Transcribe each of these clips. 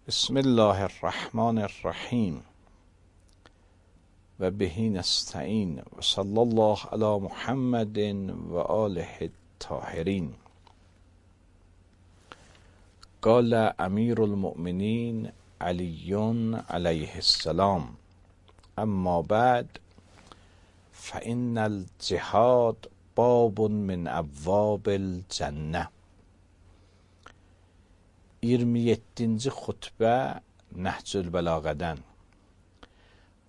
بسم الله الرحمن الرحیم و به نستعین و صلی الله علی محمد و آله الطاهرین. قال امیر المؤمنین علی علیه السلام: اما بعد فإن الجهاد باب من ابواب الجنه. 27-ci xutbə Nəhcül Bəlağədən.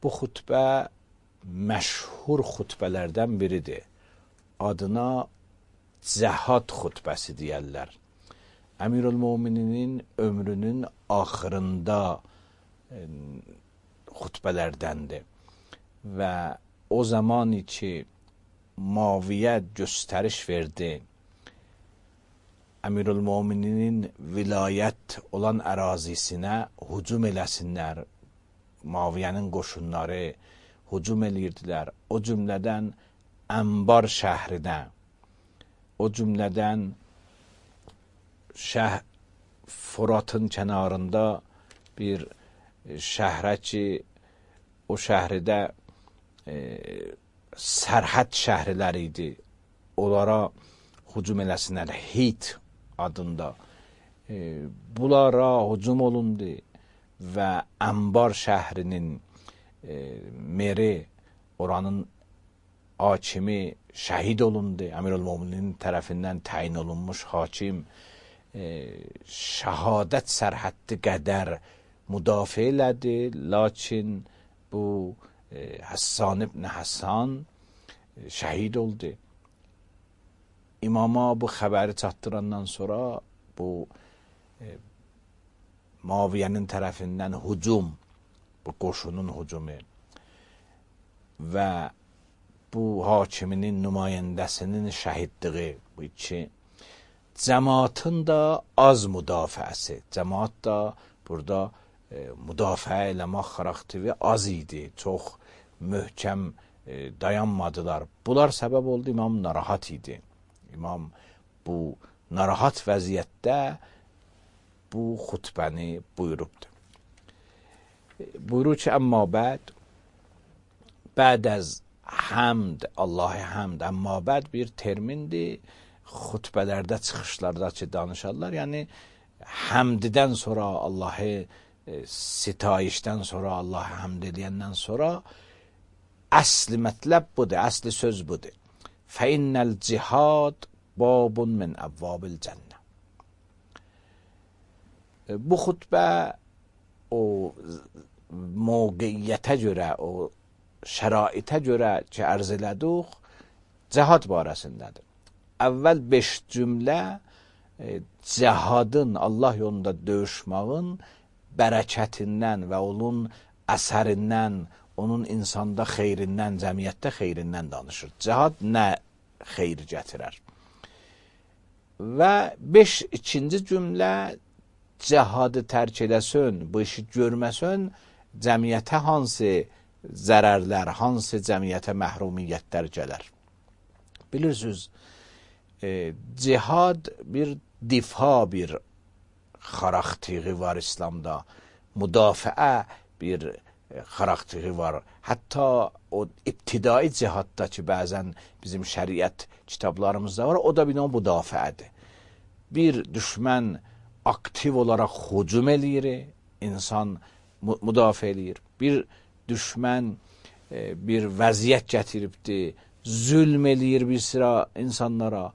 Bu xutbə məşhur xutbələrdən biridir. Adına cəhad xutbəsi deyərlər. Əmirül-Mömininin ömrünün axırında xutbələrdəndir. Və o zamanı ki Muaviyə göstəriş verdi, Əmirül-Mömininin vilayət olan ərazisinə hücum eləsinlər. Muaviyyənin qoşunları hücum eləyirdilər. O cümlədən Ənbar şəhrinə, o cümlədən Fıratın kənarında bir şəhrə ki, o şəhridə sərhəd şəhriləri idi. Onlara hücum eləsinlər. Hit adında bunlara hücum olundu və Ənbar şəhrinin meri, oranın hakimi şəhid olundu. Əmirül-Möminin tərəfindən təyin olunmuş hakim şəhadət sərhəddi qədər müdafiə elədi. Lakin bu Həssan ibn Həssan şəhid oldu. İmama bu xəbəri çatdırandan sonra bu Muaviyyənin tərəfindən hücum, bu qoşunun hücumu və bu hakiminin nümayəndəsinin şəhidliyi, bu iki cəmaatın da az müdafiəsi. Cəmaat da burada müdafiə eləmək xarakteri az idi. Çox möhkəm dayanmadılar. Bunlar səbəb oldu, imam narahat idi. İmam bu narahat vəziyyətdə bu xutbəni buyurubdur. Buyurur ki, əmmə bəd əz həmd, Allah-ı həmd, əmmə bəd bir termindir. Xutbələrdə, çıxışlarda ki, danışarlar. Yəni, həmdidən sonra, Allahı sitayişdən sonra, Allahı həmd edəndən sonra əsli mətləb budur, əsli söz budur. فَإِنَّ الْجِهَادِ بَابٌ مِنْ أَبْوَابِ الْجَنَّةِ. Bu xutbə o mövqeyiyyətə görə, o şəraitə görə ki, ərz elədik, cəhad barəsindədir. Əvvəl 5 cümlə cəhadın, Allah yolunda döyüşmağın bərəkətindən və onun əsərindən, onun insanda xeyrindən, cəmiyyətdə xeyrindən danışır. Cəhad nə xeyr gətirər? Və 2-ci cümlə cəhadı tərk edəsən, bu işi görməsən, cəmiyyətə hansı zərərlər, hansı cəmiyyətə məhrumiyyətlər gələr? Bilirsiniz, cihad bir difa bir xarakteri var İslamda. Müdafiə bir xarakteri var. Hətta o ibtidai cihadda ki, bəzən bizim şəriət kitablarımızda var, o da bir müdafiədir. Bir düşmən aktiv olaraq hücum eləyir, insan müdafiə eləyir. Bir düşmən bir vəziyyət gətiribdir, zülm eləyir bir sıra insanlara.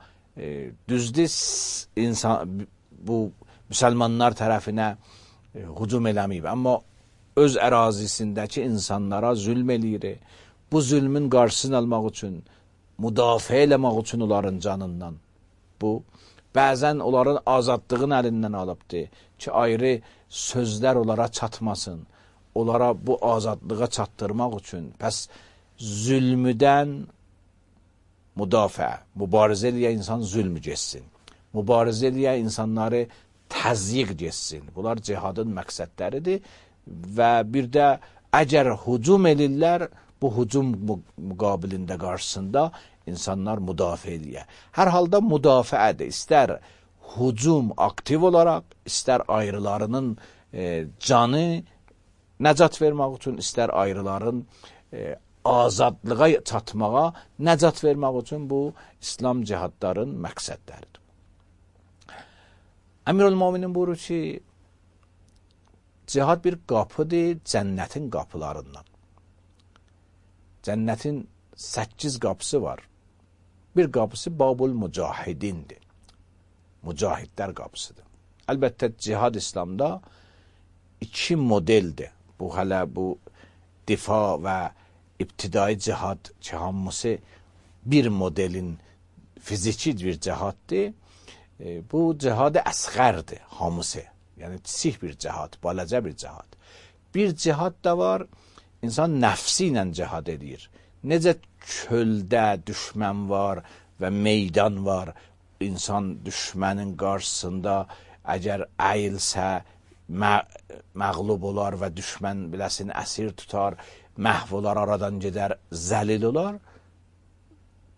Düzdür, bu müsəlmanlar tərəfinə hücum eləməyib, amma öz ərazisindəki insanlara zülm eləyir. Bu zülmün qarşısını almaq üçün, müdafiə eləmək üçün onların canından. Bu, bəzən onların azadlığın əlindən alıbdır ki, ayrı sözlər onlara çatmasın. Onlara bu azadlığa çatdırmaq üçün. Pəs zülmüdən müdafiə, mübarizə eləyə insan zülmü geçsin. Mübarizə eləyə insanları təzyiq geçsin. Bunlar cihadın məqsədləridir. Və bir də əgər hücum edirlər, bu hücum müqabilində qarşısında insanlar müdafiə edir. Hər halda müdafiədir. İstər hücum aktiv olaraq, istər ayrılarının canı nəcat vermək üçün, istər ayrıların azadlığa çatmağa nəcat vermək üçün bu İslam cihadların məqsədləridir. Əmirül-Möminin buyurur ki, cihad bir qapıdır cənnətin qapılarından. Cənnətin 8 qapısı var. Bir qapısı Babul Mücahidindir. Mücahidlər qapısıdır. Əlbəttə cihad İslamda 2 modeldir. Bu hələ bu difa və ibtidai cihad ki, hamısı bir modelin fiziki bir cihaddır. Bu cihad-ı əsğərdir hamısı. Yəni kiçik bir cihad, balaca bir cihad. Bir cihad da var, insan nəfsi ilə cihad edir. Necə çöldə düşmən var və meydan var, insan düşmənin qarşısında əgər əyilsə, məğlub olar və düşmən biləsin əsir tutar, məhv olar, aradan gedər, zəlil olar.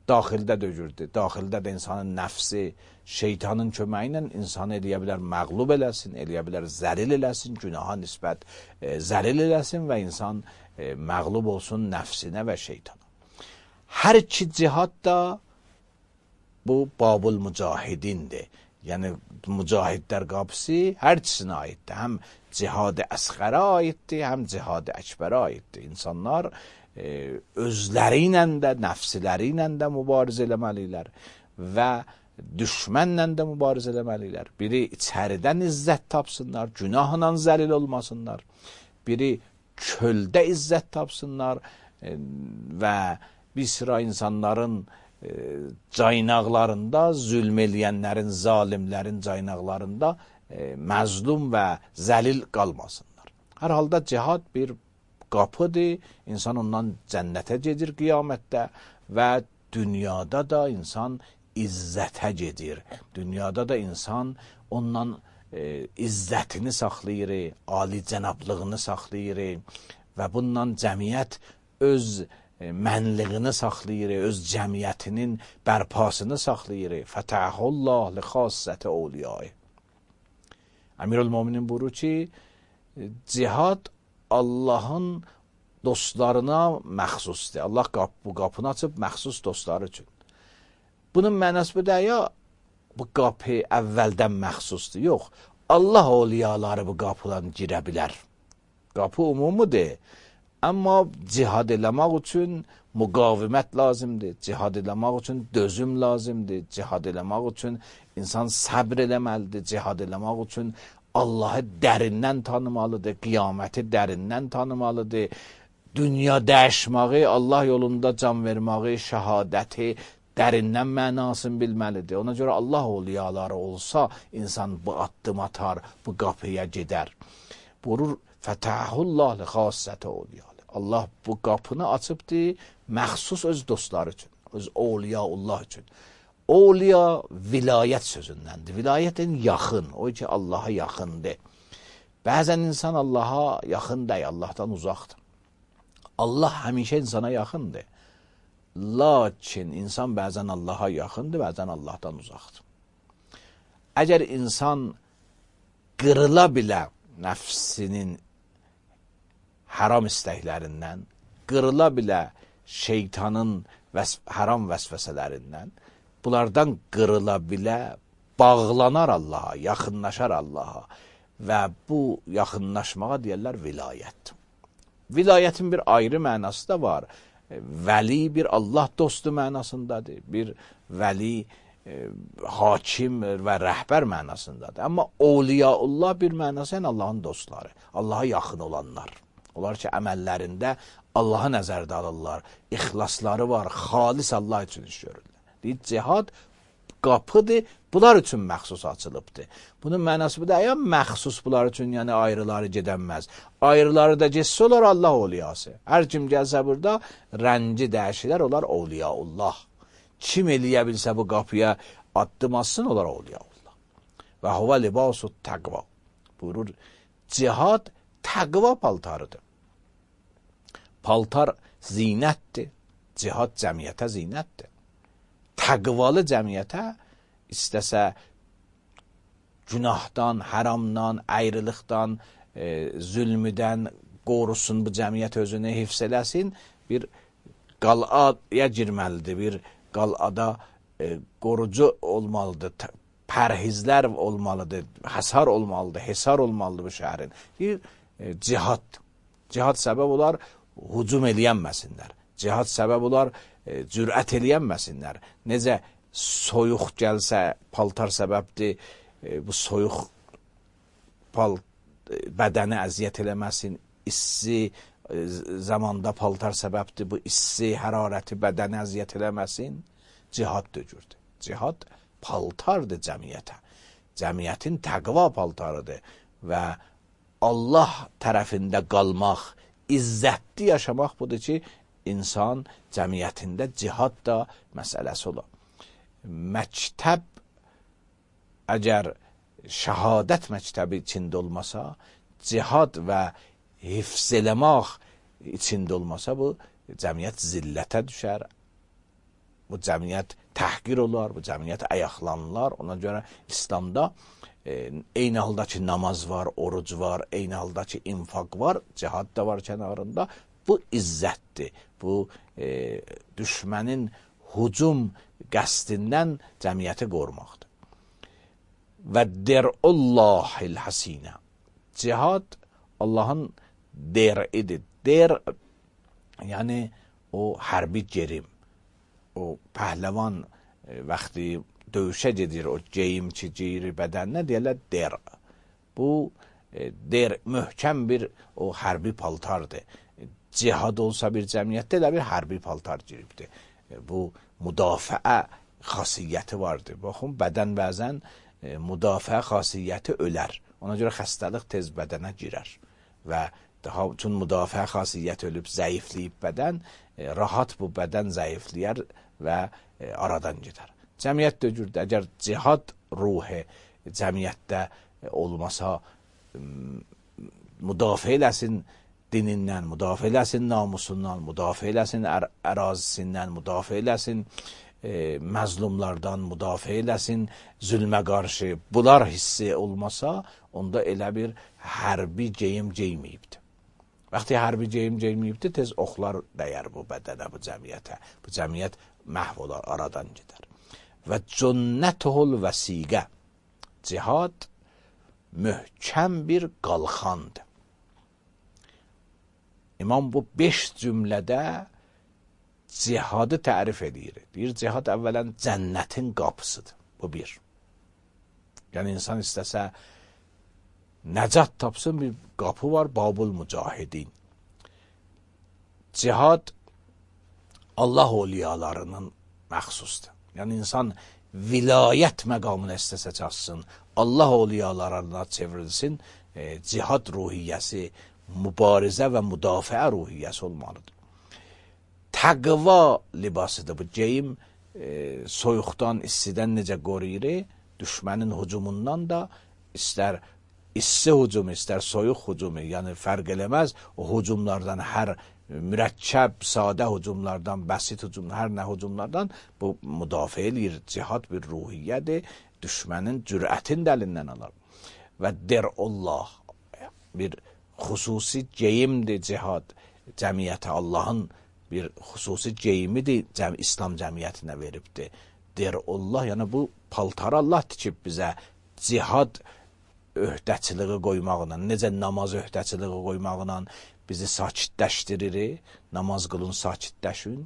Daxildə dögürdür. Daxildə də insanın nəfsi, şeytanın köməyi ilə insanı eləyə bilər, məğlub eləsin, eləyə bilər, zəlil eləsin, günaha nisbət zəlil eləsin və insan məğlub olsun nəfsinə və şeytana. Hər iki cihad da bu Babul Mücahidindir. Yəni mücahidlər qapısı hər ikisinə aiddir. Həm cihad-ı əsğərə aiddir, həm cihad-ı əkbərə aiddir. İnsanlar özləri ilə də, nəfsləri ilə də mübarizə eləməlidirlər və düşmənlə də mübarizə eləməlidirlər. Biri içəridən izzət tapsınlar, günahla zəlil olmasınlar. Biri çöldə izzət tapsınlar və bir sıra insanların caynaqlarında, zülm eləyənlərin, zalimlərin caynaqlarında məzlum və zəlil qalmasınlar. Hər halda cihad bir qapıdır, insan ondan cənnətə gedir qiyamətdə və dünyada da insan izzətə gedir. Dünyada da insan ondan izzətini saxlayır, ali cənablığını saxlayır və bundan cəmiyyət öz mənliğini saxlayır, öz cəmiyyətinin bərpasını saxlayır. Fətəhullah li xassəti awliyayı. Əmirül-Möminin buyurur ki, cihad Allahın dostlarına məxsusdur. Allah bu qapını açıb məxsus dostları üçün. Bunun mənası bu da ya, bu qapı əvvəldən məxsusdur. Yox, Allah awliyaları bu qapıdan girə bilər. Qapı umumidir. Amma cihad eləmək üçün müqavimət lazımdır. Cihad eləmək üçün dözüm lazımdır. Cihad eləmək üçün insan səbr eləməlidir. Cihad eləmək üçün Allahı dərindən tanımalıdır. Qiyaməti dərindən tanımalıdır. Dünya dəyişməyi, Allah yolunda can verməyi, şəhadəti dərindən mənasını bilməlidir. Ona görə Allah awliyaları olsa, insan bu addım atar, bu qapıya gedər. Buyurur, Fətəhullah li xassəti awliya. Allah bu qapını açıbdır, məxsus öz dostları üçün, öz awliyaullah üçün. Awliya vilayət sözündəndir. Vilayətin yaxın, o ki Allaha yaxındır. Bəzən insan Allaha yaxın deyil, Allahdan uzaqdır. Allah həmişə insana yaxındır. Lakin insan bəzən Allaha yaxındır, bəzən Allahdan uzaqdır. Əgər insan qırıla bilə nəfsinin haram istəklərindən, qırıla bilə şeytanın haram vəsvəsələrindən, bunlardan qırıla bilə, bağlanar Allaha, yaxınlaşar Allaha və bu yaxınlaşmağa deyərlər vilayət. Vilayətin bir ayrı mənası da var. Vəli bir Allah dostu mənasındadır, bir vəli hakim və rəhbər mənasındadır. Amma awliyaullah bir mənası yəni Allahın dostları, Allaha yaxın olanlar. Onlar ki, əməllərində Allaha nəzərdə alırlar, ixlasları var, xalis Allah üçün iş görürlər. Deyir, cihad qapıdır, bunlar üçün məxsus açılıbdır. Bunun mənası bu da, ya məxsus bunlar üçün, yəni ayrıları gedənməz. Ayrıları da getsə olar Allah awliyası. Hər kim gəlsə burada, rənci dəyişilər, olar awliyaullah. Kim eləyə bilsə bu qapıya addım atsın, olar awliyaullah. Və huvə libasu təqva. Buyurur, cihad təqva paltarıdır. Paltar zinətdir. Cihad cəmiyyətə zinətdir. Təqvalı cəmiyyətə istəsə günahdan, haramdan, ayrılıqdan, zülmüdən qorusun, bu cəmiyyət özünü hifz eləsin, bir qalaya girməlidir, bir qalada qorucu olmalıdır, pərhizlər olmalıdır, həsar olmalıdır, hesar olmalıdır bu şəhərin. Bir cihad. Cihad səbəb olar, hücum eləyənməsinlər. Cihad səbəb olar, cürət eləyənməsinlər. Necə soyuq gəlsə, paltar səbəbdir, bu soyuq bədəni əziyyət eləməsin, issi zamanda paltar səbəbdir, bu issi, hərarəti bədəni əziyyət eləməsin, cihad döcürdür. Cihad paltardır cəmiyyətə. Cəmiyyətin təqva paltarıdır və Allah tərəfində qalmaq, izzətli yaşamaq budur ki, insan cəmiyyətində cihad da məsələsi olur. Məktəb əgər şəhadət məktəbi içində olmasa, cihad və hifz eləmək içində olmasa, bu cəmiyyət zillətə düşər, bu cəmiyyət təhqir olar, bu cəmiyyət ayaqlanırlar. Ona görə İslamda eyni halda ki namaz var, oruc var, eyni halda ki infaq var, cihad da var kənarında. Bu izzətdir, bu düşmənin hücum qəsdindən cəmiyyəti qorumaqdır. Və der'ullahil hasinə. Cihad Allahın der'idir. Der, yəni o hərbi gerim. O pəhləvan vaxtı döyüşə gedir, o geyim ki, geyiri bədəninə deyirlər der. Bu der möhkəm bir o hərbi paltardır. Cihad olsa bir cəmiyyətdə də bir hərbi paltar giribdir. Bu müdafiə xasiyyəti vardır. Baxın, bədən bəzən müdafiə xasiyyəti ölər. Ona görə xəstəlıq tez bədənə girər. Və daha üçün müdafiə xasiyyəti ölüb, zəifləyib bədən, rahat bu bədən zəifləyər və aradan gedər. Cəmiyyət döcürdür. Əgər cihad ruhi cəmiyyətdə olmasa, müdafiə eləsin dinindən, müdafiə eləsin namusundan, müdafiə eləsin ərazisindən, müdafiə eləsin məzlumlardan, müdafiə eləsin zülmə qarşı. Bunlar hissi olmasa, onda elə bir hərbi geyim geyməyibdir. Vaxtı hərbi geyim geyməyibdir, tez oxlar dəyər bu bədənə, bu cəmiyyətə. Bu cəmiyyət məhv olar, aradan gedər. Və cünnətuhul vəsiqə. Cihad möhkəm bir qalxandır. İmam bu 5 cümlədə cihadı tərif edir. Deyir, cihad əvvələn cənnətin qapısıdır. Bu bir. Yəni, insan istəsə nəcat tapsın, bir qapı var, Babul Mücahidin. Cihad Allah oliyalarının məxsusdur. Yəni, insan vilayət məqamını istəsə çatsın, Allah oliyalarına çevrilsin, cihad ruhiyyəsi, mübarizə və müdafiə ruhiyyəsi olmalıdır. Təqva libasıdır bu geyim, soyuqdan, istidən necə qoruyur, düşmənin hücumundan da istər issi hücumu, istər soyuq hücumu, yəni fərq eləməz, o hücumlardan, hər mürəkkəb, sadə hücumlardan, bəsit hücum, hər nə hücumlardan bu müdafiə eləyir. Cihad bir ruhiyyədir, düşmənin cürətin dəlindən alır. Və der'ullah, bir xüsusi geyimdir cihad, cəmiyyətə Allahın bir xüsusi geyimidir, İslam cəmiyyətinə veribdir. Der'ullah, yəni bu paltarı Allah tikib bizə, cihad öhdəçiliği qoymaqla, necə namaz öhdəçiliği qoymaqla bizi sakitləşdirir, namaz qılın, sakitləşin.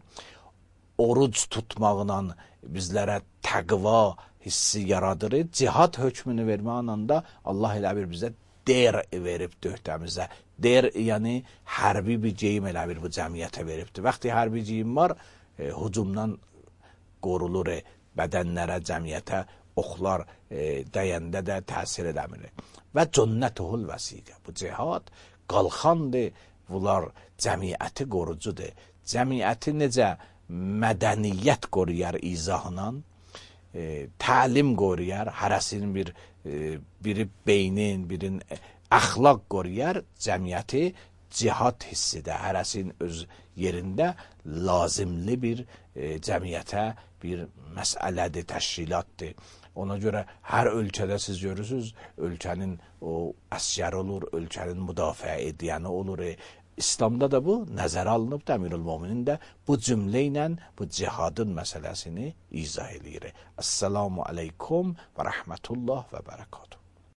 Oruc tutmaqla bizlərə təqva hissi yaradır. Cihad hökmünü verməklə da Allah elə bir bizə der veribdir öhdəmizə. Der, yəni hərbi bir geyim elə bir bu cəmiyyətə veribdir. Vaxtı hərbi geyim var, hücumdan qorulur, bədənlərə, cəmiyyətə oxlar dəyəndə də təsir edəmir. Və cünnətuhul vəsiqə. Bu cihad qalxandır, bunlar cəmiyyəti qorucudur. Cəmiyyəti necə mədəniyyət qoruyar izahla, təlim qoruyar, hərəsinin biri beynin, birin əxlaq qoruyar, cəmiyyəti cihad hissidir. Hərəsinin öz yerində lazımlı bir cəmiyyətə bir məsələdir, təşkilatdır. Ona görə hər ölkədə siz görürsünüz, ölkənin o əsgər olur, ölkənin müdafiə edəni olur. İslamda da bu nəzərə alınıb, Əmirülmöminin də bu cümlə ilə bu cihadın məsələsini izah edir. Esselamu aleykum və rəhmətullah və bərəkatuhu.